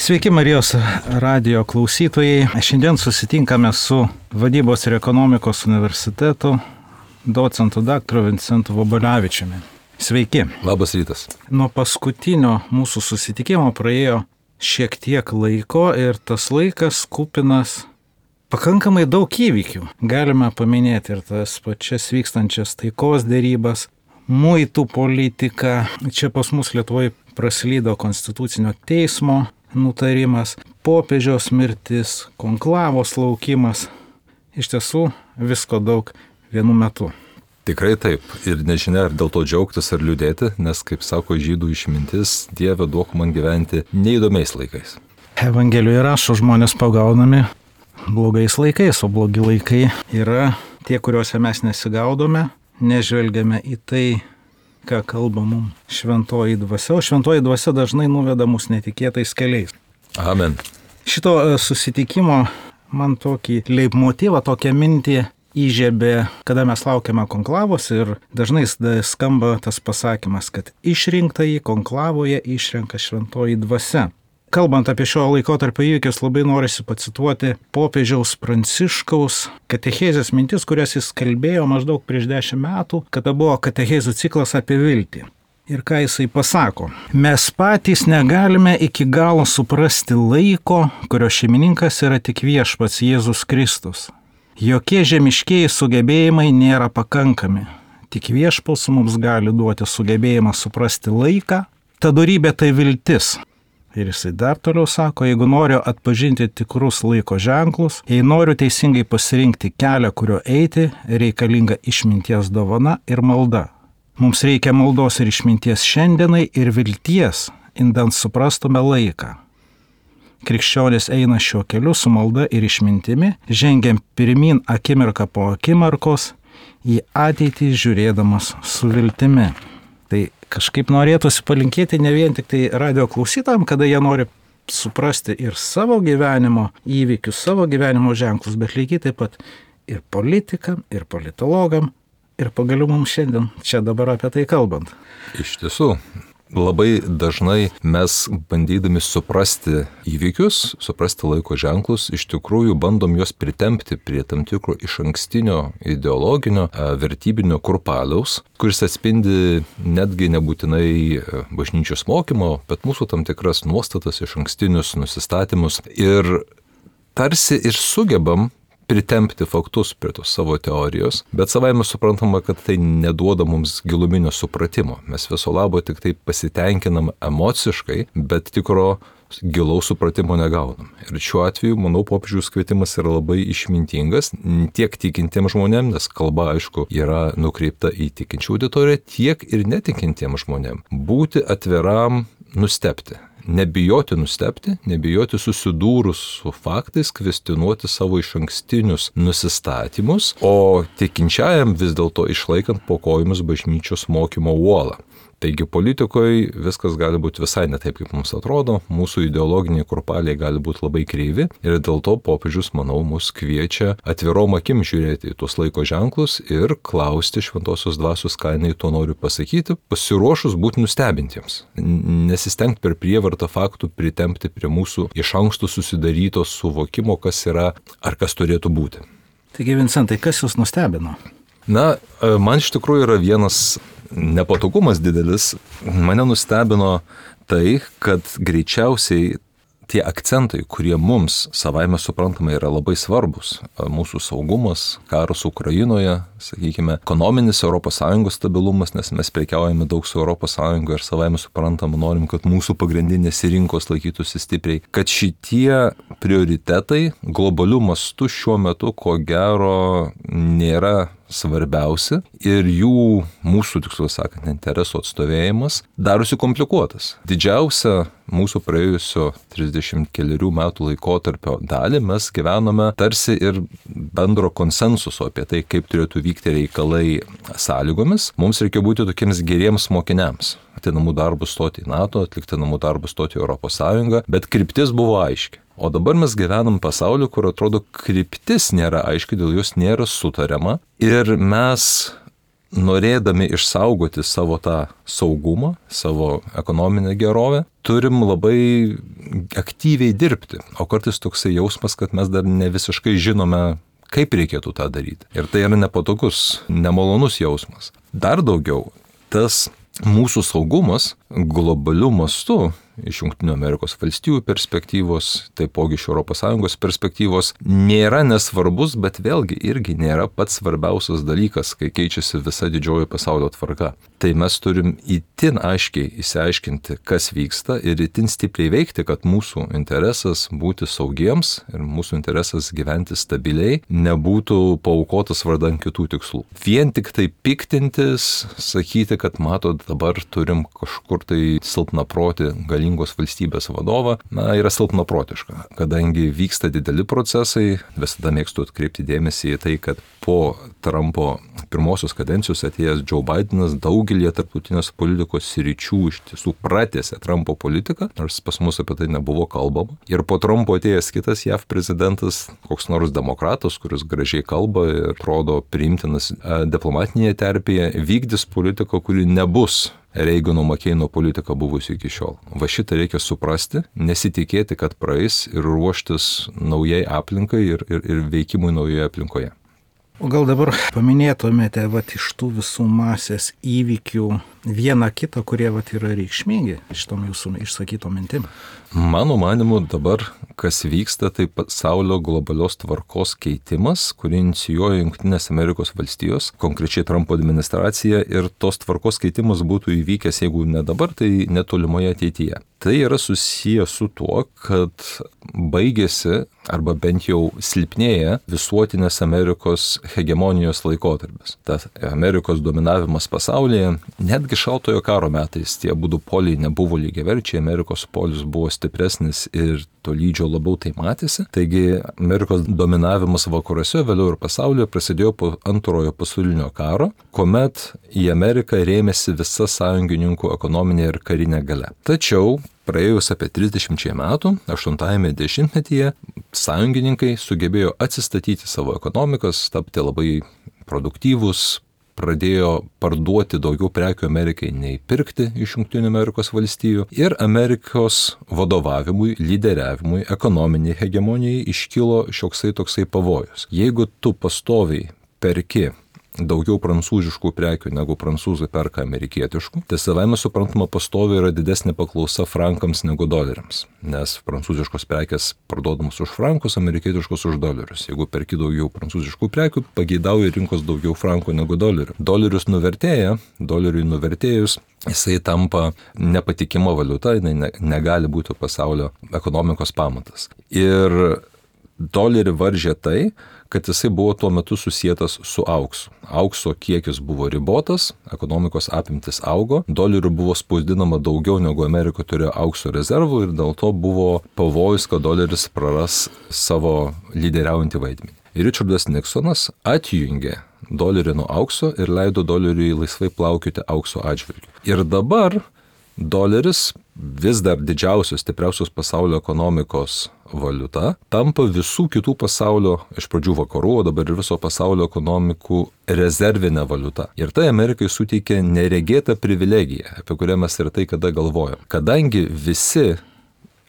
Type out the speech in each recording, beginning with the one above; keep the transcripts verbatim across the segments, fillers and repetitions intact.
Sveiki Marijos radijo klausytojai. Šiandien susitinkame su Vadybos ir ekonomikos universiteto docentu daktaru Vincentu Vobolevičiumi. Sveiki. Labas rytas. Nuo paskutinio mūsų susitikimo praėjo šiek tiek laiko ir tas laikas kupinas pakankamai daug įvykių. Galime paminėti ir tas pačias vykstančias taikos dėrybas, muitų politiką. Čia pas mus Lietuvoje praslydo Konstitucinio teismo nutarimas, popiežiaus mirtis, konklavos laukimas. Iš tiesų visko daug vienu metu. Tikrai taip. Ir nežinia, ar dėl to džiaugtis ar liūdėti, nes, kaip sako žydų išmintis, Dieve duok man gyventi neįdomiais laikais. Evangelijoje rašo, žmonės pagaunami blogais laikais, o blogi laikai yra tie, kuriuose mes nesigaudome, nežvelgiame į tai, ką kalba mums šventoji dvasia, o šventoji dvasia dažnai nuveda mus netikėtais keliais. Amen. Šito susitikimo man tokį leitmotyvą, tokią mintį įžiebė, kada mes laukiame konklavos ir dažnai skamba tas pasakymas, kad išrinktąjį konklavoje išrenka šventoji dvasia. Kalbant apie šio laikotarpio įvykius, labai norisi pacituoti popiežiaus Pranciškaus katechezės mintis, kurias jis kalbėjo maždaug prieš dešimt metų, kada buvo katechezų ciklas apie viltį. Ir ką jisai pasako? Mes patys negalime iki galo suprasti laiko, kurio šeimininkas yra tik viešpats Jėzus Kristus. Jokie žemiškieji sugebėjimai nėra pakankami. Tik viešpats mums gali duoti sugebėjimą suprasti laiką. Ta dorybė tai viltis. Ir jisai dar toliau sako, jeigu noriu atpažinti tikrus laiko ženklus, jei noriu teisingai pasirinkti kelią, kurio eiti, reikalinga išminties dovana ir malda. Mums reikia maldos ir išminties šiandienai ir vilties, indant suprastume laiką. Krikščionis eina šiuo keliu su malda ir išmintimi, žengiam pirmin akimirką po akimirkos, į ateitį žiūrėdamas su viltimi. Tai kažkaip norėtųsi palinkėti ne vien tik tai radio klausytojams, kada jie nori suprasti ir savo gyvenimo įvykius, savo gyvenimo ženklus, bet lygiai taip pat ir politikam, ir politologam, ir pagaliau mums šiandien čia dabar apie tai kalbant. Iš tiesų, labai dažnai mes bandydami suprasti įvykius, suprasti laiko ženklus, iš tikrųjų bandom juos pritempti prie tam tikro išankstinio ideologinio, vertybinio kurpaliaus, kuris atspindi netgi nebūtinai bažnyčios mokymo, bet mūsų tam tikras nuostatas, išankstinius nusistatymus. Ir tarsi ir sugebam pritempti faktus prie tos savo teorijos, bet savaime suprantama, kad tai neduoda mums giluminio supratimo. Mes viso labo tik tai pasitenkinam emociškai, bet tikro gilaus supratimo negaunam. Ir šiuo atveju, manau, popiežiaus kvietimas yra labai išmintingas tiek tikintiems žmonėms, nes kalba, aišku, yra nukreipta į tikinčių auditoriją, tiek ir netikintiems žmonėms. Būti atviram nustebti. Nebijoti nustebti, nebijoti susidūrus su faktais, kvestionuoti savo išankstinius nusistatymus, o tikinčiajam vis dėlto išlaikant po kojomis bažnyčios mokymo uolą. Taigi politikoje viskas gali būti visai ne taip, kaip mums atrodo, mūsų ideologiniai kurpaliai gali būti labai kreivi ir dėl to popiežius, manau, mus kviečia atvirom akim žiūrėti į tuos laiko ženklus ir klausti šventosios dvasios, ką jinai to noriu pasakyti, pasiruošus būti nustebintiems. Nesistengti per prievartą faktų pritempti prie mūsų iš anksto susidaryto suvokimo, kas yra ar kas turėtų būti. Taigi, Vincentai, kas jūs nustebino? Na, man iš tikrųjų yra vienas nepatogumas didelis. Mane nustebino tai, kad greičiausiai tie akcentai, kurie mums savaime suprantama yra labai svarbus, mūsų saugumas, karas Ukrainoje, sakykime, ekonominis Europos Sąjungos stabilumas, nes mes prekiaujame daug su Europos Sąjunga ir savaime suprantama norim, kad mūsų pagrindinės rinkos laikytųsi stipriai, kad šitie prioritetai globaliu mastu šiuo metu ko gero nėra svarbiausi ir jų, mūsų tiksliau sakant, interesų atstovėjimas darosi komplikuotas. Didžiausia mūsų praėjusio trisdešimt kelerių metų laikotarpio dalį mes gyvename tarsi ir bendro konsensuso apie tai, kaip turėtų vykti reikalai sąlygomis. Mums reikia būti tokiems geriems mokiniams. Atlikti namų darbus stoti į NATO, atlikti namų darbus stoti į Europos Sąjungą, bet kryptis buvo aiški. O dabar mes gyvenam pasauliu, kur atrodo kryptis nėra aiški, dėl jos nėra sutariama ir mes norėdami išsaugoti savo tą saugumą, savo ekonominę gerovę, turim labai aktyviai dirbti. O kartais toksai jausmas, kad mes dar ne visiškai žinome, kaip reikėtų tą daryti. Ir tai yra nepatogus, nemalonus jausmas. Dar daugiau, tas mūsų saugumas globaliu mastu iš Jungtinių Amerikos valstijų perspektyvos, taipogi iš Europos Sąjungos perspektyvos, nėra nesvarbus, bet vėlgi irgi nėra pats svarbiausias dalykas, kai keičiasi visa didžioji pasaulio tvarka. Tai mes turim itin aiškiai įsiaiškinti, kas vyksta ir itin stipriai veikti, kad mūsų interesas būti saugiems ir mūsų interesas gyventi stabiliai nebūtų paaukotas vardan kitų tikslų. Vien tik tai piktintis, sakyti, kad matot, dabar turim kažkur tai silpnaprotį galingos valstybės vadovą, na, yra silpnaprotiška. Kadangi vyksta dideli procesai, visada mėgstu atkreipti dėmesį į tai, kad po Trumpo pirmosios kadencijos atėjęs Joe Bidenas daugelį tarptautinės politikos sričių iš tiesų pratęsė Trumpo politiką, nors pas mus apie tai nebuvo kalbama. Ir po Trumpo atėjęs kitas J A V prezidentas, koks nors demokratas, kuris gražiai kalba ir atrodo priimtinas diplomatinėje terpėje, vykdys politiką, kuri nebus Reigano Makeino politika buvusi iki šiol. Va šitą reikia suprasti, nesitikėti, kad praeis ir ruoštis naujai aplinkai ir, ir, ir veikimui naujoje aplinkoje. O gal dabar paminėtumėte vat, iš tų visų masės įvykių vieną kitą, kurie vat, yra reikšmingi šitom jūsų išsakytom mintim? Mano manimu dabar, kas vyksta, tai pasaulio globalios tvarkos keitimas, kurį inicijuoja Jungtinės Amerikos valstijos, konkrečiai Trumpo administracija, ir tos tvarkos keitimas būtų įvykęs, jeigu ne dabar, tai netolimoje ateityje. Tai yra susijęs su tuo, kad baigėsi arba bent jau silpnėja visuotinės Amerikos hegemonijos laikotarpis. Tas Amerikos dominavimas pasaulyje, netgi šaltojo karo metais tie abudu poliai nebuvo lygiaverčiai, Amerikos polis buvo stipresnis ir tolydžio labiau tai matėsi. Taigi Amerikos dominavimas vakaruose, vėliau ir pasaulyje prasidėjo po antrojo pasaulinio karo, kuomet į Ameriką rėmėsi visa sąjungininkų ekonominė ir karinė galia. Tačiau praėjus apie trisdešimčiai metų, aštuntajame dešimtmetyje, sąjungininkai sugebėjo atsistatyti savo ekonomikas, tapti labai produktyvūs, pradėjo parduoti daugiau prekių Amerikai nei pirkti iš Jungtinių Amerikos valstijų ir Amerikos vadovavimui, lyderiavimui, ekonominiai hegemonijai iškilo šioksai toksai pavojus. Jeigu tu pastoviai perki daugiau prancūziškų prekių negu prancūzai perka amerikietiškų, tai savaime suprantama pastoviai yra didesnė paklausa frankams negu doleriams, nes prancūziškos prekės parduodamos už frankus, amerikietiškos už dolerius. Jeigu perki daugiau prancūziškų prekių, pageidauja rinkos daugiau frankų negu dolerių. Dolerius nuvertėja, doleriui nuvertėjus, jisai tampa nepatikima valiuta, jinai ne, negali būti pasaulio ekonomikos pamatas. Ir dolerį varžė tai, kad jisai buvo tuo metu susietas su auksu. Aukso kiekis buvo ribotas, ekonomikos apimtis augo, dolerių buvo spausdinama daugiau negu Amerika turėjo aukso rezervų ir dėl to buvo pavojus, kad doleris praras savo lyderiaujantį vaidmenį. Ir Richardas Nixonas atjungė dolerį nuo aukso ir leido doleriui laisvai plaukioti aukso atžvilgiu. Ir dabar doleris, vis dar didžiausios, stipriausios pasaulio ekonomikos valiuta, tampa visų kitų pasaulio, iš pradžių vakarų, o dabar ir viso pasaulio ekonomikų rezervinė valiuta. Ir tai Amerikai suteikia neregėtą privilegiją, apie kurią mes ir tai kada galvojam. Kadangi visi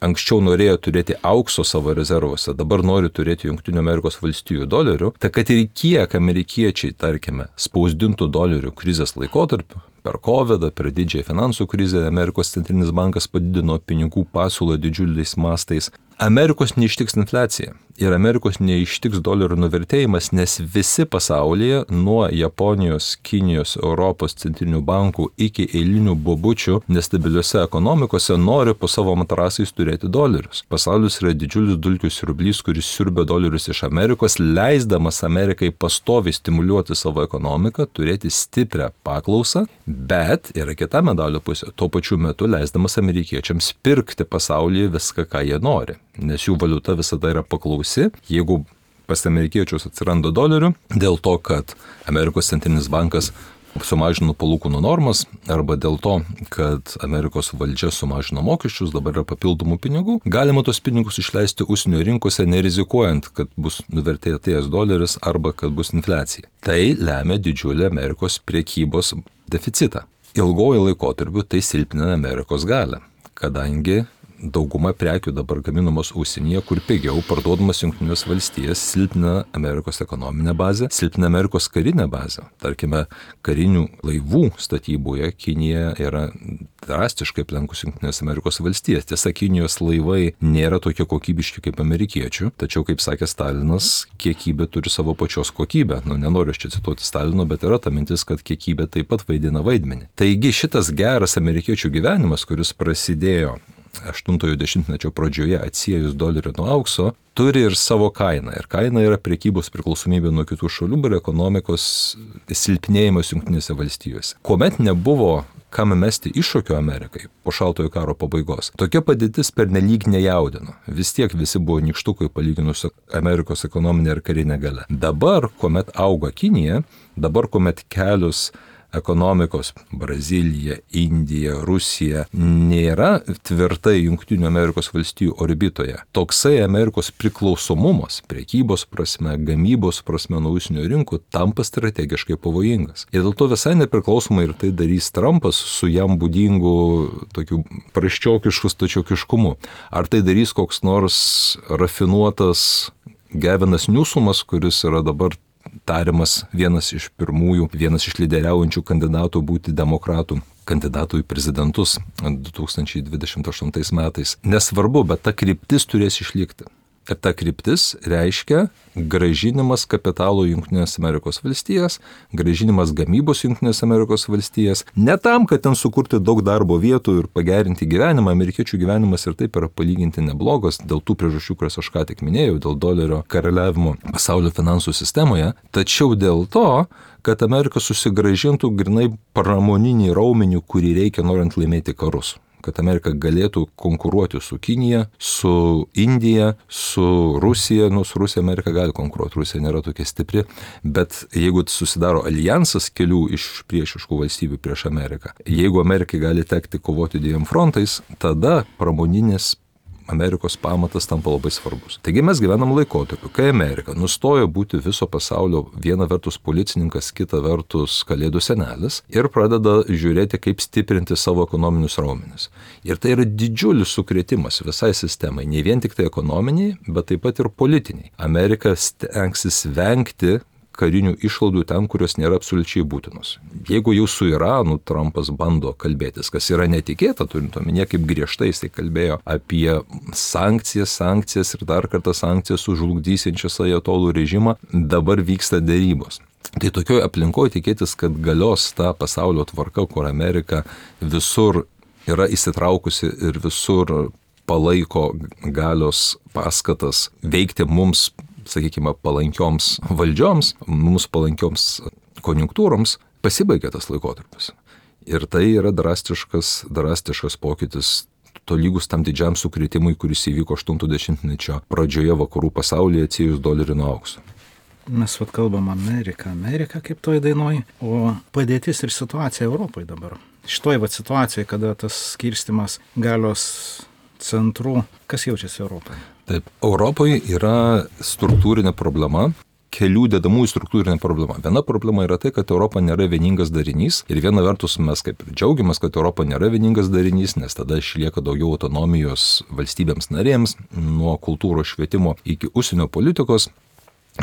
anksčiau norėjo turėti aukso savo rezervuose, dabar nori turėti Jungtinių Amerikos valstijų dolerių, tai kad ir kiek amerikiečiai, tarkime, spausdintų dolerių krizės laikotarpiu, per kovidą, per didžiąją finansų krizę, Amerikos centrinis bankas padidino pinigų pasiūlą didžiuliais mastais. Amerikos neištiks infliacija ir Amerikos neištiks dolerio nuvertėjimas, nes visi pasaulyje, nuo Japonijos, Kinijos, Europos centrinių bankų iki eilinių bobučių nestabiliuose ekonomikose nori po savo matrasais turėti dolerius. Pasaulis yra didžiulis dulkių siurblys, kuris siurbia dolerius iš Amerikos, leisdamas Amerikai pastoviai stimuliuoti savo ekonomiką, turėti stiprią paklausą, bet yra kita medalio pusė, tuo pačiu metu leisdamas amerikiečiams pirkti pasaulyje viską, ką jie nori, nes jų valiuta visada yra paklausi. Jeigu pas amerikiečius atsiranda dolerių, dėl to, kad Amerikos centrinis bankas sumažino palūkanų normas, arba dėl to, kad Amerikos valdžia sumažino mokesčius, dabar yra papildomų pinigų, galima tos pinigus išleisti užsienio rinkose, nerizikuojant, kad bus nuvertėjęs doleris arba kad bus infliacija. Tai lemia didžiulį Amerikos priekybos deficitą. Ilgojo laikotarpiu tai silpnina Amerikos galią, kadangi dauguma prekių dabar gaminamos užsienyje, kur pigiau parduodamas Jungtinės valstijas, silpnina Amerikos ekonominę bazę, silpnina Amerikos karinę bazę. Tarkime, karinių laivų statyboje Kinija yra drastiškai aplenkus Jungtinės Amerikos valstijas. Tiesa, Kinijos laivai nėra tokie kokybiški kaip amerikiečių, tačiau, kaip sakė Stalinas, kiekybė turi savo pačios kokybę. Nu, nenoriu aš čia cituoti Stalino, bet yra ta mintis, kad kiekybė taip pat vaidina vaidmenį. Taigi šitas geras amerikiečių gyvenimas, kuris prasidėjo aštuntojo dešimtmečio pradžioje atsiejus dolerį nuo aukso, turi ir savo kainą. Ir kaina yra prekybos priklausomybė nuo kitų šalių ir ekonomikos silpnėjimas Jungtinėse valstijose. Kuomet nebuvo kam mesti iššūkio Amerikai po šaltojo karo pabaigos, tokia padėtis pernelyg nejaudino. Vis tiek visi buvo nykštukai palyginus su Amerikos ekonominė ir karinė galia. Dabar, kuomet auga Kinija, dabar, kuomet kelios ekonomikos Brazilija, Indija, Rusija nėra tvirtai Jungtinių Amerikos valstijų orbitoje. Toksai Amerikos priklausomumas prekybos prasme, gamybos prasme nuo užsienio rinkų tampa strategiškai pavojingas. Ir dėl to visai nepriklausomai ir tai darys Trumpas su jam būdingu tokiu praščiokišku stačiokiškumu. Ar tai darys koks nors rafinuotas Gavinas Newsomas, kuris yra dabar tariamas vienas iš pirmųjų, vienas iš lyderiaujančių kandidatų būti demokratų kandidatų į prezidentus du tūkstančiai dvidešimt aštuntais metais. Nesvarbu, bet ta kryptis turės išlikti. Ir ta kryptis reiškia grąžinimas kapitalo Jungtinės Amerikos valstijas, grąžinimas gamybos Jungtinės Amerikos valstijas, ne tam, kad ten sukurti daug darbo vietų ir pagerinti gyvenimą. Amerikiečių gyvenimas ir taip yra palyginti neblogas dėl tų priežasčių, kurias aš ką tik minėjau, dėl dolerio karaliavimo pasaulio finansų sistemoje, tačiau dėl to, kad Amerika susigrąžintų grinai pramoninį raumenį, kurį reikia norint laimėti karus. Kad Amerika galėtų konkuruoti su Kinija, su Indija, su Rusija. Nu, su Rusija Amerika gali konkuruoti, Rusija nėra tokia stipri, bet jeigu susidaro alijansas kelių iš priešiškų valstybių prieš Ameriką, jeigu Amerikai gali tekti kovoti dviem frontais, tada pramoninis Amerikos pamatas tampa labai svarbus. Taigi mes gyvenam laikotarpiu, kai Amerika nustojo būti viso pasaulio viena vertus policininkas, kita vertus kalėdų senelis ir pradeda žiūrėti, kaip stiprinti savo ekonominius raumenis. Ir tai yra didžiulis sukrėtimas visai sistemai, ne vien tik tai ekonominiai, bet taip pat ir politiniai. Amerika stengsis vengti karinių išlaidų ten, kurios nėra absoliučiai būtinos. Jeigu jau su Iranu Trumpas bando kalbėtis, kas yra netikėta, turint omenyje, kaip griežtai jisai kalbėjo apie sankcijas, sankcijas ir dar kartą sankcijas sužlugdysiančias ajatolų režimą, dabar vyksta dėrybos. Tai tokioje aplinkoje tikėtis, kad galios ta pasaulio tvarka, kur Amerika visur yra įsitraukusi ir visur palaiko galios paskatas veikti mums, sakykime, palankioms valdžioms, mums palankioms konjunktūroms, pasibaigė tas laikotarpis. Ir tai yra drastiškas, drastiškas pokytis, tolygus tam didžiam sukrėtimui, kuris įvyko aštuntojo dešimtmečio pradžioje vakarų pasaulyje atsiejus dolerį nuo aukso. Mes vat kalbam Ameriką, Ameriką kaip toj dainoj, o padėtis ir situacija Europoje dabar. Šitoj vat situacijoje, kada tas skirstimas galios centrų, kas jaučiasi Europoje? Taip, Europoje yra struktūrinė problema, kelių dedamųjų struktūrinė problema. Viena problema yra tai, kad Europa nėra vieningas darinys ir viena vertus mes kaip ir džiaugiamės, kad Europa nėra vieningas darinys, nes tada išlieka daugiau autonomijos valstybėms narėms, nuo kultūros švietimo iki užsienio politikos.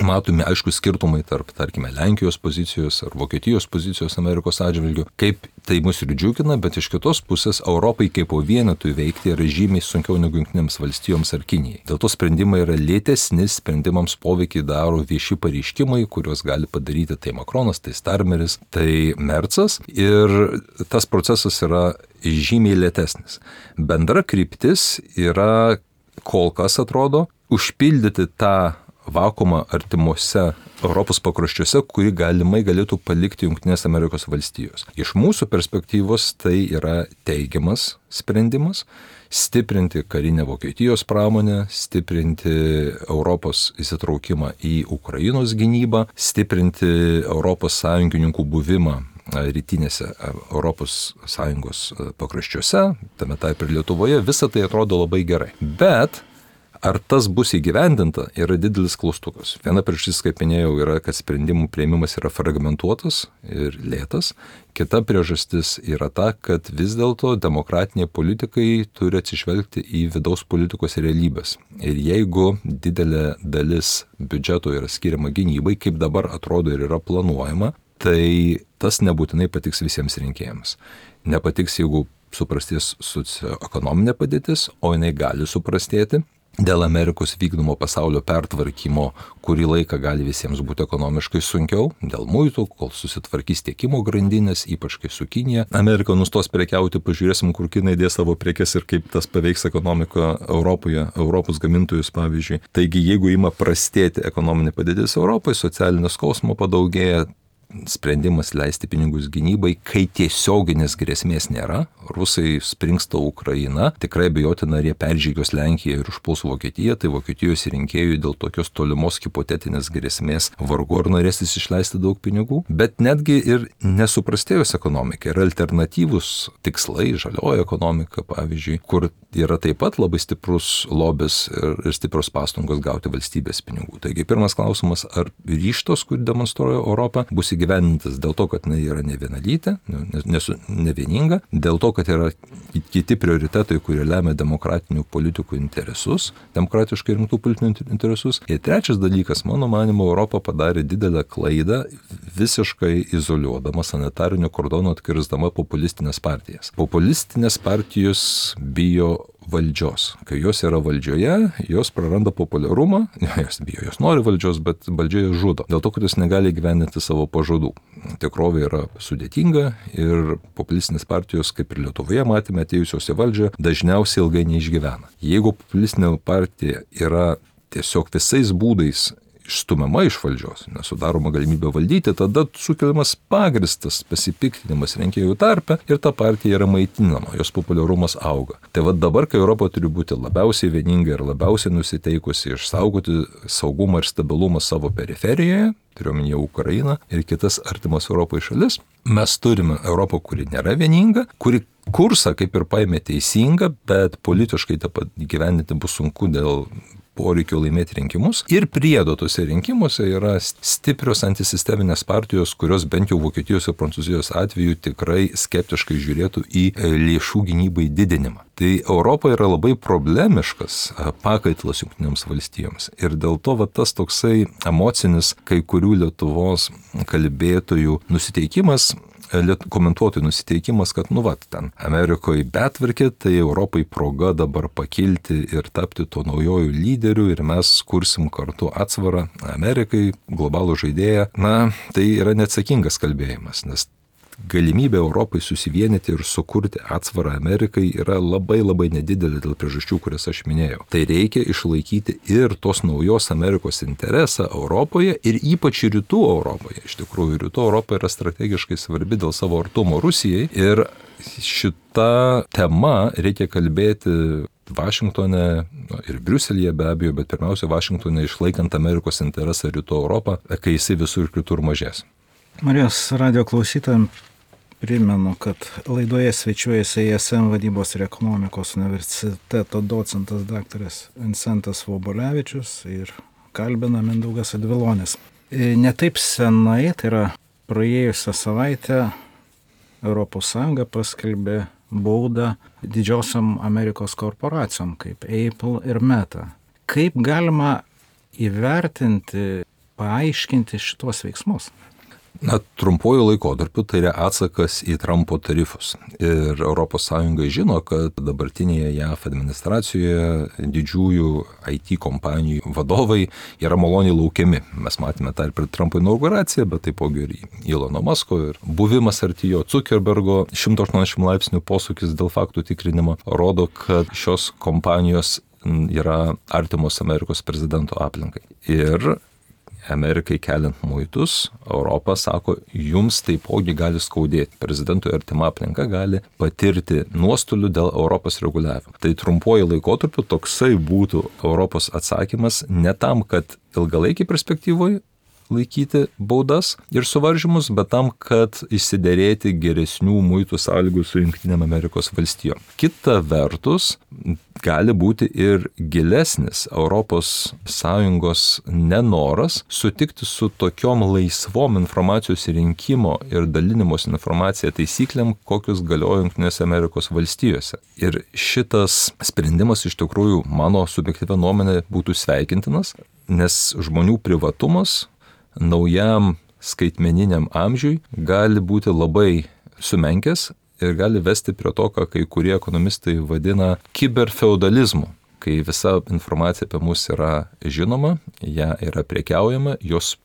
Matome aišku skirtumai tarp, tarkime, Lenkijos pozicijos ar Vokietijos pozicijos Amerikos atžvilgių, kaip tai mus ir džiugina, bet iš kitos pusės Europai kaip po vienetui veikti yra žymiai sunkiau negu Jungtinėms valstijoms ar Kinijai. Dėl to sprendimai yra lėtesni, sprendimams poveikį daro vieši pareiškimai, kuriuos gali padaryti tai Makronas, tai Starmeris, tai Mercas ir tas procesas yra žymiai lėtesnis. Bendra kryptis yra kol kas atrodo užpildyti tą vakuumą artimuose Europos pakraščiuose, kurį galimai galėtų palikti Jungtinės Amerikos valstijos. Iš mūsų perspektyvos tai yra teigiamas sprendimas stiprinti karinę Vokietijos pramonę, stiprinti Europos įsitraukimą į Ukrainos gynybą, stiprinti Europos sąjungininkų buvimą rytinėse Europos Sąjungos pakraščiuose, tame taip ir Lietuvoje, visa tai atrodo labai gerai. Bet ar tas bus įgyvendinta, yra didelis klaustukas. Viena priežastis, kaip minėjau, yra, kad sprendimų priėmimas yra fragmentuotas ir lėtas. Kita priežastis yra ta, kad vis dėlto demokratiniai politikai turi atsižvelgti į vidaus politikos realybės. Ir jeigu didelė dalis biudžeto yra skiriama gynybai, kaip dabar atrodo ir yra planuojama, tai tas nebūtinai patiks visiems rinkėjams. Nepatiks, jeigu suprastės socioekonominė padėtis, o jinai gali suprastėti. Dėl Amerikos vykdomo pasaulio pertvarkymo, kurį laiką gali visiems būti ekonomiškai sunkiau, dėl muitų, kol susitvarkys tiekimo grandinės, ypač kai su Kinija. Amerika nustos prekiauti, pažiūrėsim, kur Kinai dės savo prekes ir kaip tas paveiks ekonomiką Europoje, Europos gamintojus pavyzdžiui. Taigi, jeigu ima prastėti ekonominė padėtis Europoje, socialinio skausmo padaugėja, sprendimas leisti pinigus gynybai, kai tiesioginės grėsmės nėra, rusai springsta Ukraina, tikrai abejotina, ar jie peržygios Lenkiją ir užpuls Vokietiją, tai Vokietijos rinkėjų dėl tokios tolimos hipotetinės grėsmės vargu ar norėsis išleisti daug pinigų, bet netgi ir nesuprastėjus ekonomikai yra alternatyvus tikslai, žalioji ekonomika pavyzdžiui, kur yra taip pat labai stiprus lobis ir, ir stiprios pastangos gauti valstybės pinigų. Taigi pirmas klausimas, ar ryžtos, kurį demonstruoja Europą, bus įgyvendintas dėl to, kad jinai yra nevienalytė, nevieninga, dėl to, kad yra kiti prioritetai, kurie lemia demokratinių politikų interesus, demokratiškai rinktų politinių interesus. Ir trečias dalykas, mano manymu, Europa padarė didelę klaidą, visiškai izoliuodama sanitarinių kordonų atkirsdama populistinės partijas. Populistinės partijos bijo valdžios. Kai jos yra valdžioje, jos praranda populiarumą, jos bijo, jos nori valdžios, bet valdžia jas žudo. Dėl to, kad jos negali gyveninti savo pažadų. Tikrovė yra sudėtinga ir populistinės partijos, kaip ir Lietuvoje matėme, atėjusios į valdžią, dažniausiai ilgai neišgyvena. Jeigu populistinė partija yra tiesiog visais būdais išstumiama iš valdžios, nesudaroma galimybė valdyti, tada sukeliamas pagristas pasipiktinimas rinkėjų tarpe ir ta partija yra maitinama, jos populiarumas auga. Tai vad dabar, kai Europa turi būti labiausiai vieninga ir labiausiai nusiteikusi išsaugoti saugumą ir stabilumą savo periferijoje, turiuomenyje Ukrainą ir kitas artimas Europai šalis, mes turime Europą, kuri nėra vieninga, kuri kursą kaip ir paėmė teisingą, bet politiškai tą pat gyvendinti bus sunku dėl poreikio laimėti rinkimus. Ir priedo tose rinkimuose yra stiprios antisisteminės partijos, kurios bent jau Vokietijos ir Prancūzijos atveju tikrai skeptiškai žiūrėtų į lėšų gynybai didinimą. Tai Europa yra labai problemiškas pakaitlas Jungtinėms valstijoms. Ir dėl to va, tas toksai emocinis kai kurių Lietuvos kalbėtojų nusiteikimas, komentuotojų nusiteikimas, kad nu vat, ten Amerikoje betvarkė, tai Europai proga dabar pakilti ir tapti to naujojų lyderių ir mes kursim kartu atsvarą Amerikai, globalų žaidėją. Na, tai yra neatsakingas kalbėjimas, nes galimybė Europai susivienyti ir sukurti atsvarą Amerikai yra labai labai nedidelė dėl priežasčių, kurias aš minėjau. Tai reikia išlaikyti ir tos naujos Amerikos interesą Europoje ir ypač rytų Europoje. Iš tikrųjų, rytų Europa yra strategiškai svarbi dėl savo artumo Rusijai ir šita tema reikia kalbėti Vašingtone ir Briuselyje be abejo, bet pirmiausia Vašingtone išlaikant Amerikos interesą rytų Europą, kai jisai visur kitur mažės. Marijos radio klausytojams primenu, kad laidoje svečiuojasi I S M vadybos ir ekonomikos universiteto docentas daktaras Vincentas Vobolevičius ir kalbina Mindaugas Advilonis. Ne taip senai, tai yra praėjusią savaitę, Europos Sąjunga paskelbė baudą didžiosiom Amerikos korporacijom kaip Apple ir Meta. Kaip galima įvertinti, paaiškinti šitos veiksmus? Na, trumpuoju laikotarpiu tai yra atsakas į Trumpo tarifus. Ir Europos Sąjunga žino, kad dabartinėje J A V administracijoje didžiųjų I T kompanijų vadovai yra maloniai laukiami. Mes matėme tą ir per Trumpo inauguraciją, bet taipogi ir Elono Musko ir buvimas arti jo Zuckerbergo šimto aštuoniasdešimt laipsnių posūkis dėl faktų tikrinimo rodo, kad šios kompanijos yra artimos Amerikos prezidento aplinkai. Ir Amerikai keliant muitus, Europa sako, jums taipogi gali skaudėti. Prezidentui artima aplinka gali patirti nuostolių dėl Europos reguliavimo. Tai trumpuoju laikotarpiu toksai būtų Europos atsakymas ne tam, kad ilgalaikiai perspektyvoje laikyti baudas ir suvaržymus, bet tam, kad išsiderėti geresnių muitų sąlygų su Jungtinėm Amerikos valstijom. Kita vertus, gali būti ir gilesnis Europos Sąjungos nenoras sutikti su tokiom laisvom informacijos rinkimo ir dalinimos informacija taisyklėm, kokius galioja Jungtinėse Amerikos valstijose. Ir šitas sprendimas iš tikrųjų, mano subjektyvia nuomonė, būtų sveikintinas, nes žmonių privatumas naujam skaitmeniniam amžiui gali būti labai sumenkęs ir gali vesti prie to, ką kai kurie ekonomistai vadina kiberfeudalizmu, kai visa informacija apie mus yra žinoma, ją yra prekiaujama, jos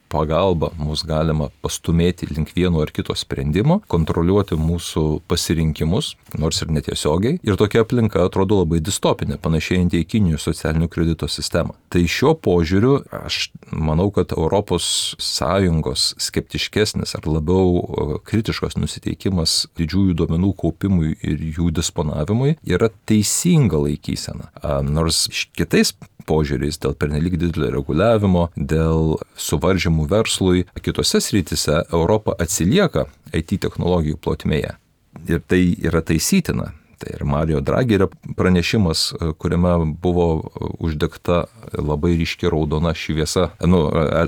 pagalba mus galima pastumėti link vieno ar kito sprendimo, kontroliuoti mūsų pasirinkimus, nors ir netiesiogiai. Ir tokia aplinka atrodo labai distopinė, panašėjanti į Kinijos socialinių kredito sistemą. Tai šiuo požiūriu aš manau, kad Europos Sąjungos skeptiškesnis ar labiau kritiškas nusiteikimas didžiųjų duomenų kaupimui ir jų disponavimui yra teisinga laikysena. Nors kitais požiūriais dėl pernelyg didelio reguliavimo, dėl suvaržymų verslui, kitose srityse Europa atsilieka I T technologijų plotmėje. Ir tai yra taisytina. Tai ir Mario Draghi yra pranešimas, kuriame buvo uždegta labai ryški raudona šviesa, nu,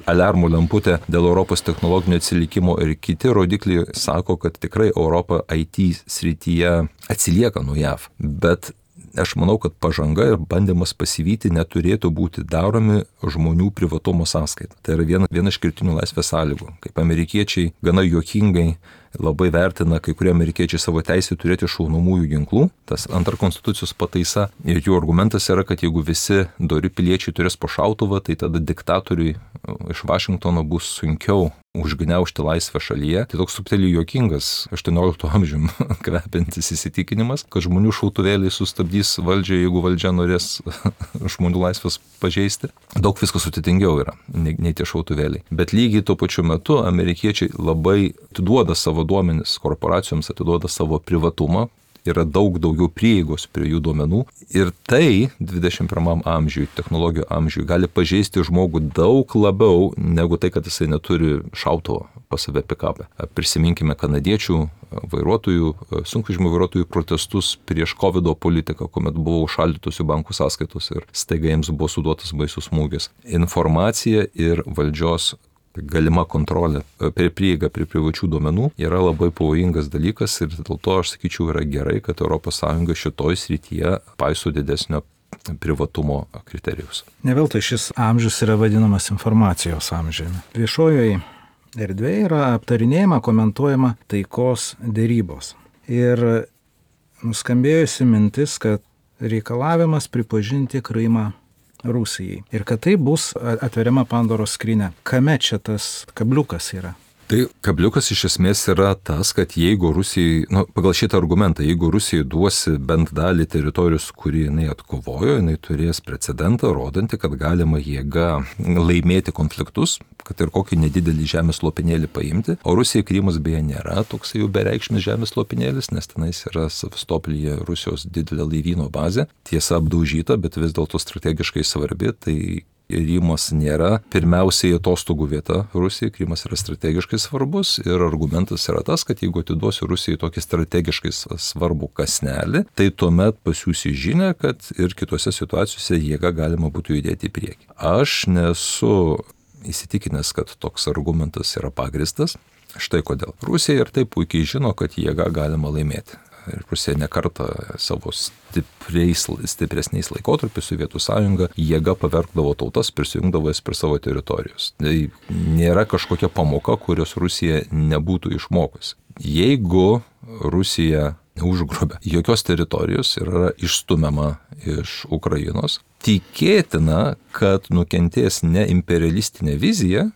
aliarmų lemputė dėl Europos technologinio atsilikimo ir kiti rodikliai sako, kad tikrai Europa I T srityje atsilieka nuo J A V. Bet aš manau, kad pažanga ir bandymas pasivyti neturėtų būti daromi žmonių privatumo sąskaita. Tai yra viena, viena iš kertinių laisvės sąlygų. Kaip amerikiečiai gana juokingai labai vertina kai kurie amerikiečiai savo teisę turėti šaunamųjų ginklų. Tas antra konstitucijos pataisa ir jų argumentas yra, kad jeigu visi dori piliečiai turės po šautuvą, tai tada diktatoriui iš Vašingtono bus sunkiau užgniaužti laisvę šalyje. Tai toks subtiliai juokingas aštuoniolikto amžium kvepiantis įsitikinimas, kad žmonių šautuvėliai sustabdys valdžią, jeigu valdžia norės žmonių laisvės pažeisti. Daug viskas sudėtingiau yra, nei, nei tie šautuvėliai. Bet lygiai tuo pačiu metu amerikiečiai labai atiduoda savo duomenis, korporacijoms atiduoda savo privatumą, yra daug daugiau prieigos prie jų duomenų ir tai dvidešimt pirmam amžiui, technologijų amžiui gali pažeisti žmogų daug labiau negu tai, kad jisai neturi šautuvo pas save pikapę. Prisiminkime kanadiečių vairuotojų, sunkvežimių vairuotojų protestus prieš kovido politiką, kuomet buvo užšaldytos jų bankų sąskaitos ir staiga jiems buvo suduotas baisus smūgis. Informacija ir valdžios galima kontrolė prie prieigą prie privačių duomenų yra labai pavojingas dalykas ir dėl to aš sakyčiau yra gerai, kad Europos Sąjunga šitoj srityje paiso didesnio privatumo kriterijus. Ne veltui šis amžius yra vadinamas informacijos amžiumi. Viešojoje erdvėje yra aptarinėjama, komentuojama taikos dėrybos. Ir nuskambėjusi mintis, kad reikalavimas pripažinti Krymą Rusijai. Ir kad tai bus atveriama Pandoros skrynia. Kame čia tas kabliukas yra? Tai kabliukas iš esmės yra tas, kad jeigu Rusijai, nu, pagal šitą argumentą, jeigu Rusijai duosi bent dalį teritorijos, kurį jinai atkovojo, jinai turės precedentą, rodantį, kad galima jėga laimėti konfliktus, kad ir kokį nedidelį žemės lopinėlį paimti. O Rusijai Krymas beje nėra toks jau bereikšmis žemės lopinėlis, nes tenais yra Sevastoplyje Rusijos didelė laivyno bazė. Tiesa apdaužyta, bet vis dėlto strategiškai svarbi, tai Krymas nėra pirmiausiai atostogų vieta Rusijai, Krymas yra strategiškai svarbus ir argumentas yra tas, kad jeigu atiduosi Rusijai tokį strategiškai svarbų kasnelį, tai tuomet pasiūsi žinią, kad ir kitose situacijose jėga galima būtų judėti į priekį. Aš nesu įsitikinęs, kad toks argumentas yra pagristas. Štai kodėl. Rusija ir taip puikiai žino, kad jėga galima laimėti. Ir Rusija nekartą savo stipriais, stipresniais laikotarpiais Sovietų sąjunga jėga pavergdavo tautas, prisijungdavo jas prie savo teritorijos. Tai nėra kažkokia pamoka, kurios Rusija nebūtų išmokusi. Jeigu Rusija neužgrobia jokios teritorijos ir yra išstumiama iš Ukrainos, tikėtina, kad nukentės ne imperialistinė vizija,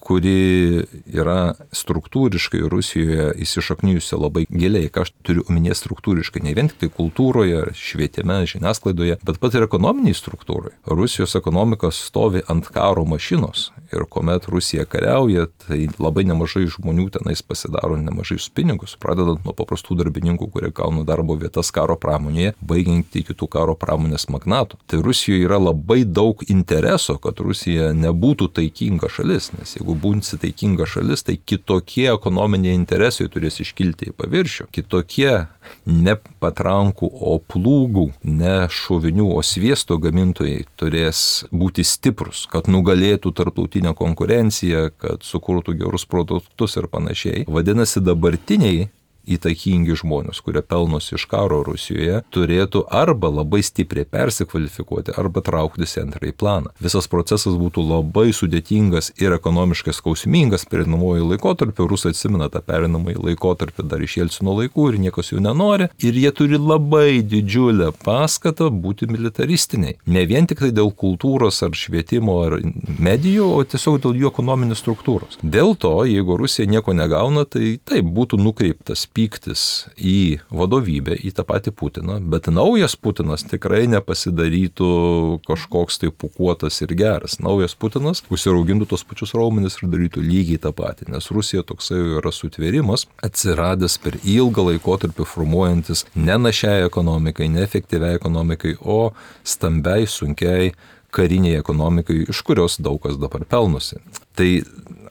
kuri yra struktūriškai Rusijoje įsišaknijusi labai giliai, ką aš turiu omenyje struktūriškai, ne vien tik tai kultūroje, švietime, žiniasklaidoje, bet pat ir ekonominiai struktūrai. Rusijos ekonomika stovi ant karo mašinos Ir kuomet Rusija kariauja, tai labai nemažai žmonių tenais pasidaro nemažai pinigus, pradedant nuo paprastų darbininkų, kurie gauna darbo vietas karo pramonėje, baigiant iki kitų karo pramonės magnatų. Tai Rusijoje yra labai daug intereso, kad Rusija nebūtų taikinga šalis, nes jeigu būsi taikinga šalis, tai kitokie ekonominiai interesai turės iškilti į paviršių. Kitokie ne patrankų, o plūgų, ne šovinių, o sviesto gamintojai turės būti stiprus, kad nugalėtų tarptautinę konkurenciją, kad sukurtų gerus produktus ir panašiai. Vadinasi, dabartiniai įtakingi žmonės, kurie pelnosi iš karo Rusijoje, turėtų arba labai stipriai persikvalifikuoti, arba trauktis į antrąjį planą. Visas procesas būtų labai sudėtingas ir ekonomiškai skausmingas pereinamojų laikotarpių. Rusai atsimena tą pereinamąjį laikotarpį dar iš Jelcino laikų ir niekas jų nenori. Ir jie turi labai didžiulę paskatą būti militaristiniai. Ne vien tik tai dėl kultūros ar švietimo ar medijų, o tiesiog dėl jų ekonominės struktūros. Dėl to, jeigu Rusija nieko negauna, tai taip būtų nukreiptas pyktis į vadovybę, į tą patį Putiną, bet naujas Putinas tikrai nepasidarytų kažkoks tai pūkuotas ir geras. Naujas Putinas užsiraugintų tos pačius raumenis ir darytų lygiai tą patį, nes Rusija toksai yra sutvėrimas, atsiradęs per ilgą laikotarpį formuojantis ne našiai ekonomikai, ne efektyviai ekonomikai, o stambiai, sunkiai kariniai ekonomikai, iš kurios daug kas dabar pelnosi. Tai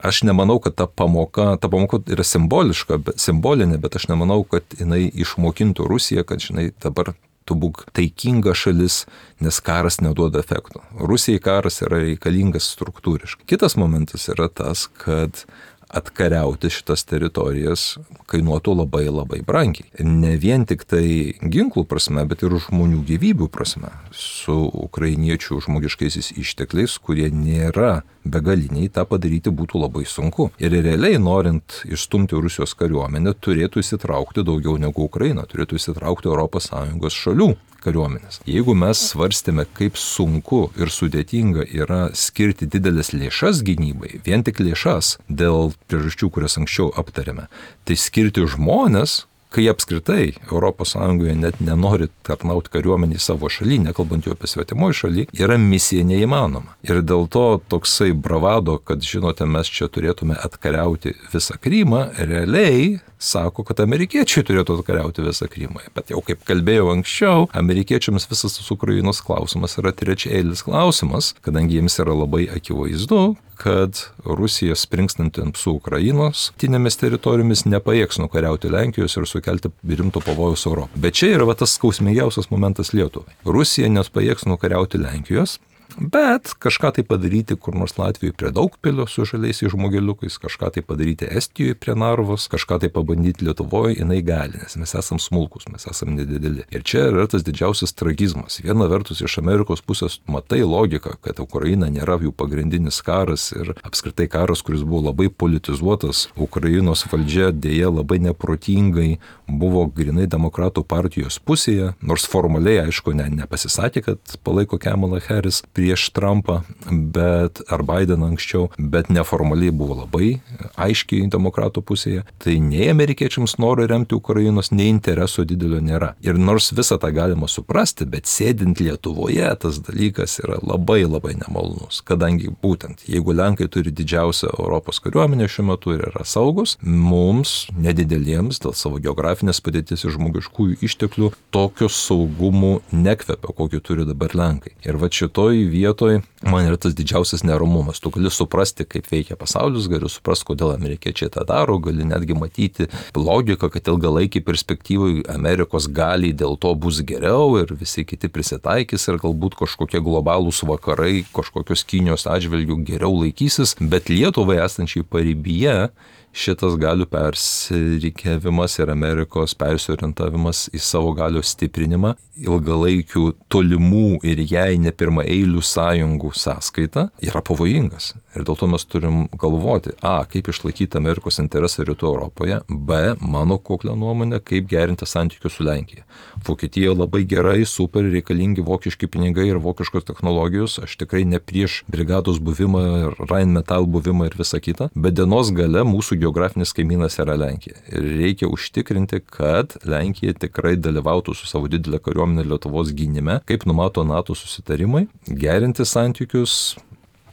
aš nemanau, kad ta pamoka, ta pamoka yra simboliška, bet, simbolinė, bet aš nemanau, kad jinai išmokintų Rusiją, kad žinai, dabar tu būk taikinga šalis, nes karas neduoda efekto. Rusijai karas yra reikalingas struktūriškai. Kitas momentas yra tas, kad atkariauti šitas teritorijas kainuotų labai labai brangiai. Ne vien tik tai ginklų prasme, bet ir žmonių gyvybių prasme. Su ukrainiečių žmogiškaisiais ištekliais, kurie nėra begaliniai, tą padaryti būtų labai sunku. Ir realiai, norint išstumti Rusijos kariuomenę, turėtų įsitraukti daugiau negu Ukraina, turėtų įsitraukti Europos Sąjungos šalių kariuomenės. Jeigu mes svarstėme, kaip sunku ir sudėtinga yra skirti didelės lėšas gynybai, vien tik lėšas dėl priežasčių, kurias anksčiau aptarėme, tai skirti žmonės, kai apskritai Europos Sąjungoje net nenori tarnauti kariuomenį savo šaly, nekalbant jau apie svetimoje šaly, yra misija neįmanoma. Ir dėl to toksai bravado, kad žinote, mes čia turėtume atkariauti visą Krymą, realiai sako, kad amerikiečiai turėtų atkariauti visą Krymą. Bet jau kaip kalbėjau anksčiau, amerikiečiams visas tas Ukrainos klausimas yra trečiailis klausimas, kadangi jiems yra labai akivaizdu, kad Rusija springstanti ant su Ukrainos tinėmis teritorijomis nepajėgs nukariauti Lenkijos ir sukelti rimto pavojaus Europą. Bet čia yra va, tas skausmingiausias momentas Lietuvai. Rusija nepajėgs nukariauti Lenkijos, bet kažką tai padaryti kur nors Latvijoje prie Daugpilio su žaliaisiais žmogeliukais, kažką tai padaryti Estijoje prie Narvos, kažką tai pabandyti Lietuvoje, jinai gali, nes mes esam smulkus, mes esam nedideli. Ir čia yra tas didžiausias tragizmas. Viena vertus iš Amerikos pusės matai logiką, kad Ukraina nėra jų pagrindinis karas ir apskritai karas, kuris buvo labai politizuotas. Ukrainos valdžia dėja labai neprotingai buvo grinai demokratų partijos pusėje, nors formaliai, aišku, ne, nepasisakė, kad palaiko Kamala Harris prieš Trumpą, bet, ar Bideną anksčiau, bet neformaliai buvo labai aiškiai demokratų pusėje. Tai nei amerikiečiams nori remti Ukrainos, nei intereso didelio nėra. Ir nors visą tą galima suprasti, bet sėdint Lietuvoje tas dalykas yra labai labai nemalonus, kadangi būtent, jeigu Lenkai turi didžiausią Europos kariuomenę šiuo metu ir yra saugus, mums, nedideliems, dėl savo geografinės padėties ir žmogiškųjų išteklių, tokių saugumų nekvepia, kokį turi dabar Lenkai. Ir va šitoj vietoj man yra tas didžiausias neramumas. Tu gali suprasti, kaip veikia pasaulis, gali suprasti, kodėl amerikiečiai tą daro, gali netgi matyti logiką, kad ilgalaikiai perspektyvai Amerikos gali dėl to bus geriau ir visi kiti prisitaikys ir galbūt kažkokie globalūs vakarai, kažkokios Kinijos atžvilgių geriau laikysis, bet Lietuvai esančiai paribyje šitas galių persirikiavimas ir Amerikos persiorientavimas į savo galios stiprinimą ilgalaikių tolimų ir jai ne pirmaeilių sąjungų sąskaita yra pavojingas. Ir dėl to mes turim galvoti, a, kaip išlaikyti Amerikos interesą rytų Europoje, b, mano kuklę nuomonę, kaip gerinti santykius su Lenkija. Vokietija labai gerai, super reikalingi vokiški pinigai ir vokiškos technologijos, aš tikrai ne prieš brigados buvimą ir Rheinmetall buvimą ir visą kitą, bet dienos gale mūsų geografinis kaimynas yra Lenkija. Ir reikia užtikrinti, kad Lenkija tikrai dalyvautų su savo didelė kariuomenė Lietuvos gynime, kaip numato NATO susitarimai, gerinti santykius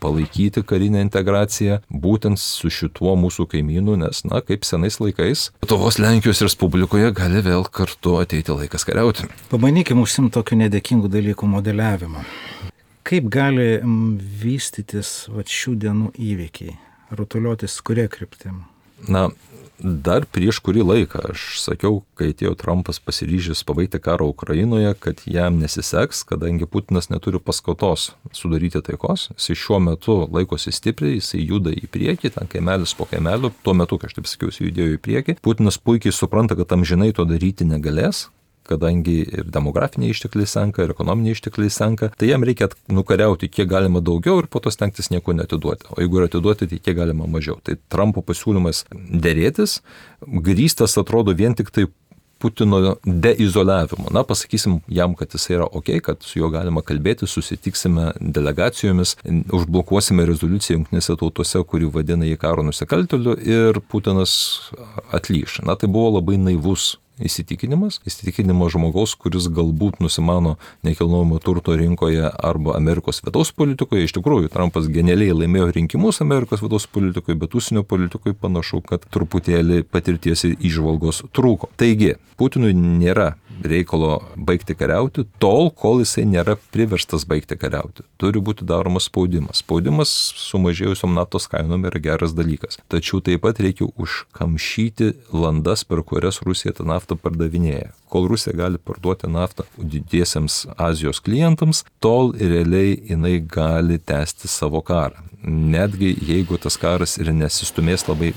palaikyti karinę integraciją būtent su šituo mūsų kaimynu, nes, na, kaip senais laikais, Lietuvos Lenkijos Respublikoje gali vėl kartu ateiti laikas kariauti. Pabandykime užsimti tokių nedėkingų dalykų modeliavimą. Kaip gali vystytis vat, šių dienų įvykiai, rutuliotis kuria kryptim? Na, dar prieš kurį laiką aš sakiau, kai atėjo Trumpas pasiryžęs pabaigti karą Ukrainoje, kad jam nesiseks, kadangi Putinas neturi paskatos sudaryti taikos. Jis šiuo metu laikosi stipriai, jis juda į priekį, ten kaimelis po kaimelio, tuo metu, kai aš taip sakiau, jis judėjo į priekį. Putinas puikiai supranta, kad amžinai to daryti negalės, kadangi ir demografiniai ištekliai senka, ir ekonominiai ištekliai senka, tai jam reikia nukariauti kiek galima daugiau ir po to stengtis nieko netiduoti. O jeigu ir atiduoti, tai kiek galima mažiau. Tai Trumpo pasiūlymas derėtis grįstas atrodo vien tik tai Putino deizoliavimu. Na, pasakysim jam, kad jis yra ok, kad su juo galima kalbėti, susitiksime delegacijomis, užblokuosime rezoliuciją jungtinėse tautose, kuri vadina jį karo nusikaltėliu ir Putinas atlyš. Na, tai buvo labai naivus įsitikinimas, įsitikinimas žmogaus, kuris galbūt nusimano nekilnojamo turto rinkoje arba Amerikos vidaus politikoje. Iš tikrųjų, Trumpas genialiai laimėjo rinkimus Amerikos vidaus politikoje, bet užsienio politikoje panašu, kad truputėlį patirties ir įžvalgos trūko. Taigi, Putinui nėra reikalo baigti kariauti, tol, kol jisai nėra priverstas baigti kariauti. Turi būti daromas spaudimas. Spaudimas sumažėjusiom naftos kainom yra geras dalykas. Tačiau taip pat reikia užkamšyti landas, per kurias Rusija tą naftą pardavinėja. Kol Rusija gali parduoti naftą didiesiems Azijos klientams, tol realiai jinai gali tęsti savo karą. Netgi jeigu tas karas ir nesistumės labai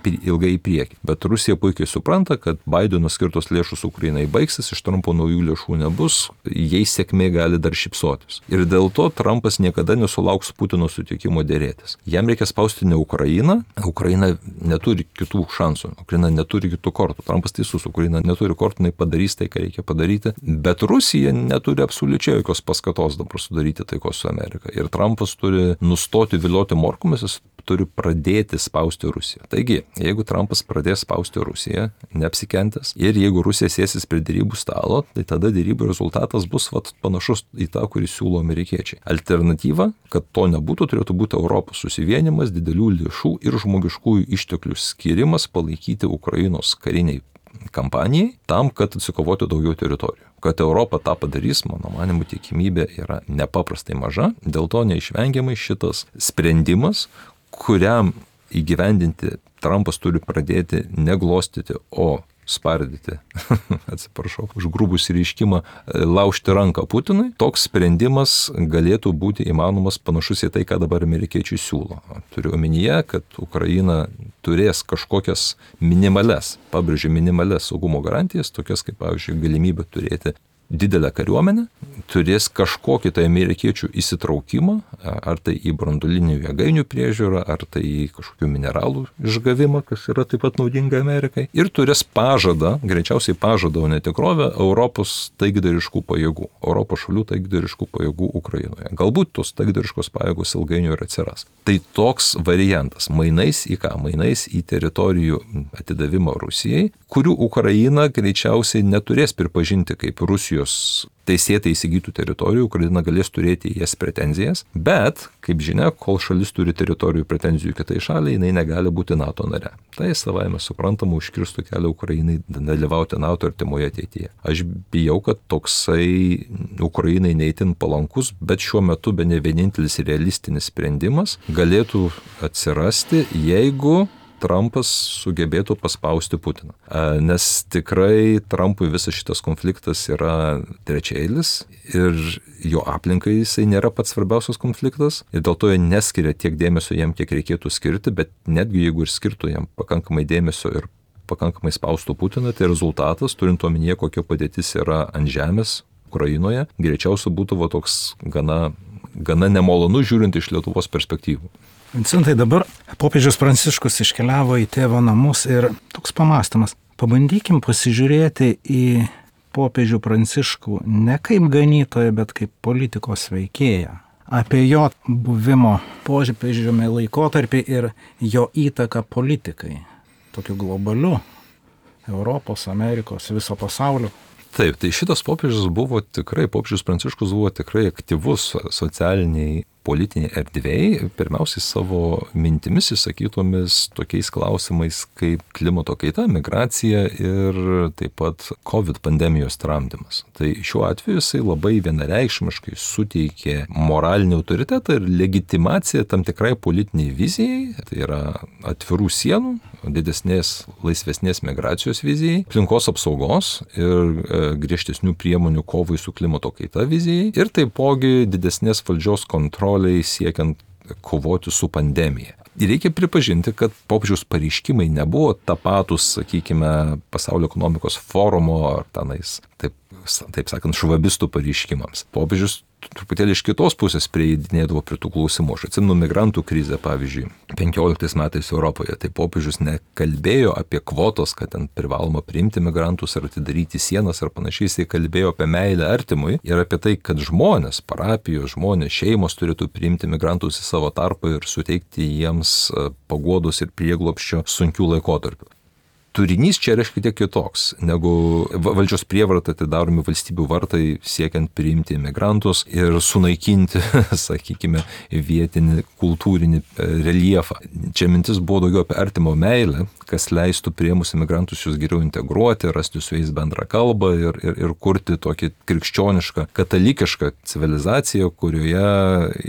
ilgai į priekį. Bet Rusija puikiai supranta, kad Baideno skirtos lėšus Ukrainai baigsis, iš Trumpo naujų lėšų nebus, jai sėkmė gali dar šypsotis. Ir dėl to Trumpas niekada nesulauks Putino sutikimo dėrėtis. Jam reikia spausti ne Ukrainą, Ukraina neturi kitų šansų, Ukraina neturi kitų kortų. Trumpas teisus, Ukraina neturi kortų, jinai padarys tai, ką reikia padaryti, bet Rusija neturi absoliučiai jokios paskatos dabar sudaryti taikos su Amerika. Ir Trumpas turi nustoti vilioti morkomis, jis turi pradėti spausti Rusiją. Taigi, jeigu Trumpas pradės spausti Rusiją, neapsikentęs, ir jeigu Rusija sėsis prie dėrybų stalo, tai tada dėrybų rezultatas bus vat, panašus į tą, kurį siūlo amerikiečiai. Alternatyva, kad to nebūtų, turėtų būti Europos susivienimas, didelių lėšų ir žmogiškųjų išteklių skirimas palaikyti Ukrainos kariniai kampanijai, tam, kad atsikovoti daugiau teritorijų. Kad Europa tą padarys, mano manimu, tikimybė yra nepaprastai maža, dėl to neišvengiamai šitas sprendimas, kuriam įgyvendinti Trumpas turi pradėti neglostyti, o spardyti, atsiprašau, už grubų išreiškimą, laužti ranką Putinui, toks sprendimas galėtų būti įmanomas panašus į tai, ką dabar amerikiečiai siūlo. Turiu omenyje, kad Ukraina turės kažkokias minimales, pabrėžiu minimales saugumo garantijas, tokias kaip, pavyzdžiui, galimybė turėti didelę kariuomenę, turės kažkokį tai amerikiečių įsitraukimą, ar tai į branduolinių jėgainių priežiūrą, ar tai į kažkokių mineralų išgavimą, kas yra taip pat naudinga Amerikai, ir turės pažadą, greičiausiai pažadą, o ne tikrovę, Europos taikdariškų pajėgų, Europos šalių taikdariškų pajėgų Ukrainoje. Galbūt tos taikdariškos pajėgos ilgainiui ir atsiras. Tai toks variantas, mainais į ką? Mainais į teritorijų atidavimą Rusijai, kurių Ukraina greičiausiai neturės pripažinti kaip Rusijos teisėtai įsigytų teritorijų, Ukraina galės turėti jas pretenzijas, bet, kaip žinia, kol šalis turi teritorijų pretenzijų kitai šaliai, jinai negali būti NATO nare. Tai savaime suprantama užkirstų kelią Ukrainai dalyvauti NATO artimoje ateityje. Aš bijau, kad toksai Ukrainai neįtin palankus, bet šiuo metu bene vienintelis realistinis sprendimas galėtų atsirasti, jeigu Trumpas sugebėtų paspausti Putiną. Nes tikrai Trumpui visas šitas konfliktas yra trečiailis ir jo aplinkai jisai nėra pats svarbiausias konfliktas ir dėl to jie neskiria tiek dėmesio jam, kiek reikėtų skirti, bet netgi jeigu ir skirtų jam pakankamai dėmesio ir pakankamai spaustų Putiną, tai rezultatas, turint omenyje, kokia padėtis yra ant žemės Ukrainoje, greičiausiai būtų va toks gana, gana nemalonu žiūrint iš Lietuvos perspektyvų. Vincentai, dabar popiežius Pranciškus iškeliavo į tėvo namus ir toks pamastymas. Pabandykim pasižiūrėti į popiežių Pranciškų ne kaip ganytoją, bet kaip politikos veikėją. Apie jo buvimo popiežiumi laikotarpį ir jo įtaką politikai. Tokiu globaliu, Europos, Amerikos, viso pasaulio. Taip, tai šitas popiežius buvo tikrai, popiežius Pranciškus buvo tikrai aktyvus socialiniai politiniai erdvėjai, pirmiausiai savo mintimis įsakytomis tokiais klausimais kaip klimato kaita, migracija ir taip pat COVID pandemijos tramdymas. Tai šiuo atveju jisai labai vienareikšmiškai suteikė moralinį autoritetą ir legitimaciją tam tikrai politiniai vizijai, tai yra atvirų sienų, didesnės, laisvesnės migracijos vizijai, aplinkos apsaugos ir e, griežtesnių priemonių kovai su klimato kaita vizijai ir taipogi didesnės valdžios kontroliai siekiant kovoti su pandemija. Ir reikia pripažinti, kad popiežiaus pareiškimai nebuvo tapatus, sakykime, Pasaulio ekonomikos forumo ar tenais, taip, taip sakant, švabistų pareiškimams. Popiežius truputėlį iš kitos pusės prieidinėdavo prie tų klausimų. Aš atsimenu migrantų krizę, pavyzdžiui, penkioliktais metais Europoje. Tai popiežius nekalbėjo apie kvotos, kad ten privaloma priimti migrantus ar atidaryti sienas ar panašiai. Jis kalbėjo apie meilę artimui ir apie tai, kad žmonės, parapijos žmonės, šeimos turėtų priimti migrantus į savo tarpą ir suteikti jiems paguodos ir prieglobsčio sunkių laikotarpių. Turinys čia yra šiek tiek kitoks, negu valdžios prievarta atidaromi valstybių vartai siekiant priimti imigrantus ir sunaikinti, sakykime, vietinį kultūrinį reljefą. Čia mintis buvo daugiau apie artimo meilę, kas leistų priėmus imigrantus jūs geriau integruoti, rasti su jais bendrą kalbą ir, ir, ir kurti tokį krikščionišką, katalikišką civilizaciją, kurioje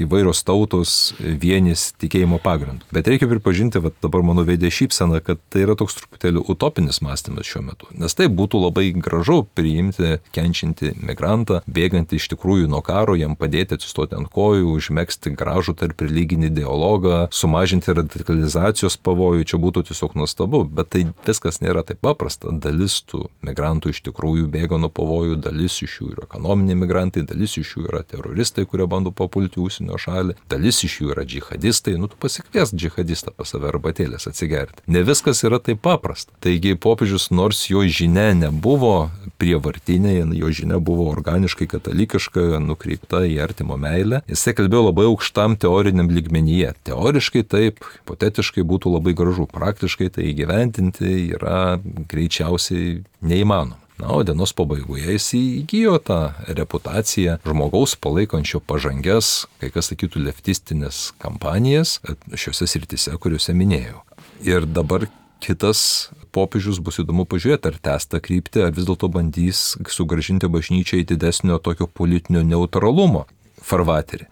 įvairios tautos vienys tikėjimo pagrindu. Bet reikia pripažinti, va, dabar mano veidė šypsena, kad tai yra toks truputėlį utopinis mąstymas šiuo metu. Nes tai būtų labai gražu priimti kenčiantį migrantą, bėgantį iš tikrųjų nuo karo, jam padėti atsistoti ant kojų, užmegzti gražų tarp religinį dialogą, sumažinti radikalizacijos pavojų, čia būtų tiesiog nuostabu. Bet tai viskas nėra taip paprasta. Dalis tų migrantų iš tikrųjų bėga nuo pavojų, dalis iš jų yra ekonominiai migrantai, dalis iš jų yra teroristai, kurie bando papulti užsienio šalį, dalis iš jų yra džihadistai. Nu, tu pasikviesk džihadistą pas save arbatėlės atsigerti. Ne viskas yra taip paprasta. Taigi popiežius, nors jo žinia nebuvo prievartinė, jo žinia buvo organiškai katalikiška, nukreipta į artimo meilę, jisai kalbėjo labai aukštam teoriniam lygmenyje. Teoriškai taip, hipotetiškai būtų labai gražu, praktiškai tai įgyvendinti yra greičiausiai neįmanoma. Na, o dienos pabaigoje jis įgijo tą reputaciją žmogaus palaikančio pažangias, kai kas sakytų, leftistinės kampanijas šiuose srityse, kuriuose minėjau. Ir dabar kitas popiežius bus įdomu pažiūrėti, ar tęs tą kryptį, ar vis dėlto bandys sugrąžinti bažnyčią į didesnio tokio politinio neutralumo farvaterį.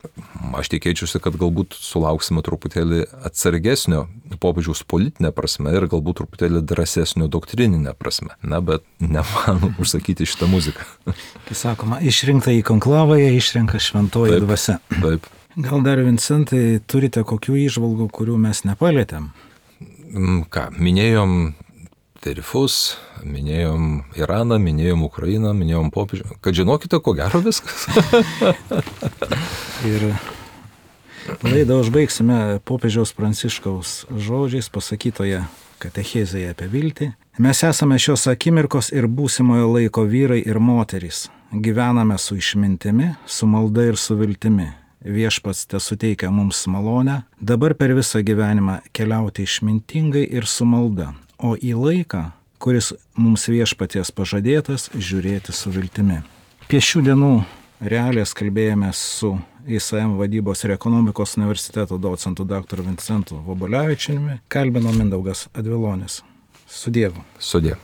Aš tikėčiausi, kad galbūt sulauksime truputėlį atsargesnio popiežiaus politinė prasme ir galbūt truputėlį drąsesnio doktrininė prasme. Na, bet nemanau užsakyti šitą muziką. Kai sakoma, išrinkta į konklavą, išrenka šventoji taip, dvasia. Taip. Gal dar, Vincentai, turite kokių įžvalgų, kurių mes nepalietėm? Ką, minėjom tarifus, minėjom Iraną, minėjom Ukrainą, minėjom popiežių. Kad žinokite, ko gero viskas. Ir laidą užbaigsime popiežiaus Pranciškaus žodžiais pasakytoje katechezėje apie viltį. Mes esame šios akimirkos ir būsimojo laiko vyrai ir moterys. Gyvename su išmintimi, su malda ir su viltimi. Viešpats te suteikia mums malonę, dabar per visą gyvenimą keliauti išmintingai ir su malda, o į laiką, kuris mums viešpaties pažadėtas, žiūrėti su viltimi. Apie šių dienų realijas kalbėjome su I S M vadybos ir ekonomikos universiteto docentu daktaru Vincentu Vobolevičiumi, kalbino Mindaugas Advilonis. Su Dievu. Su Dievu.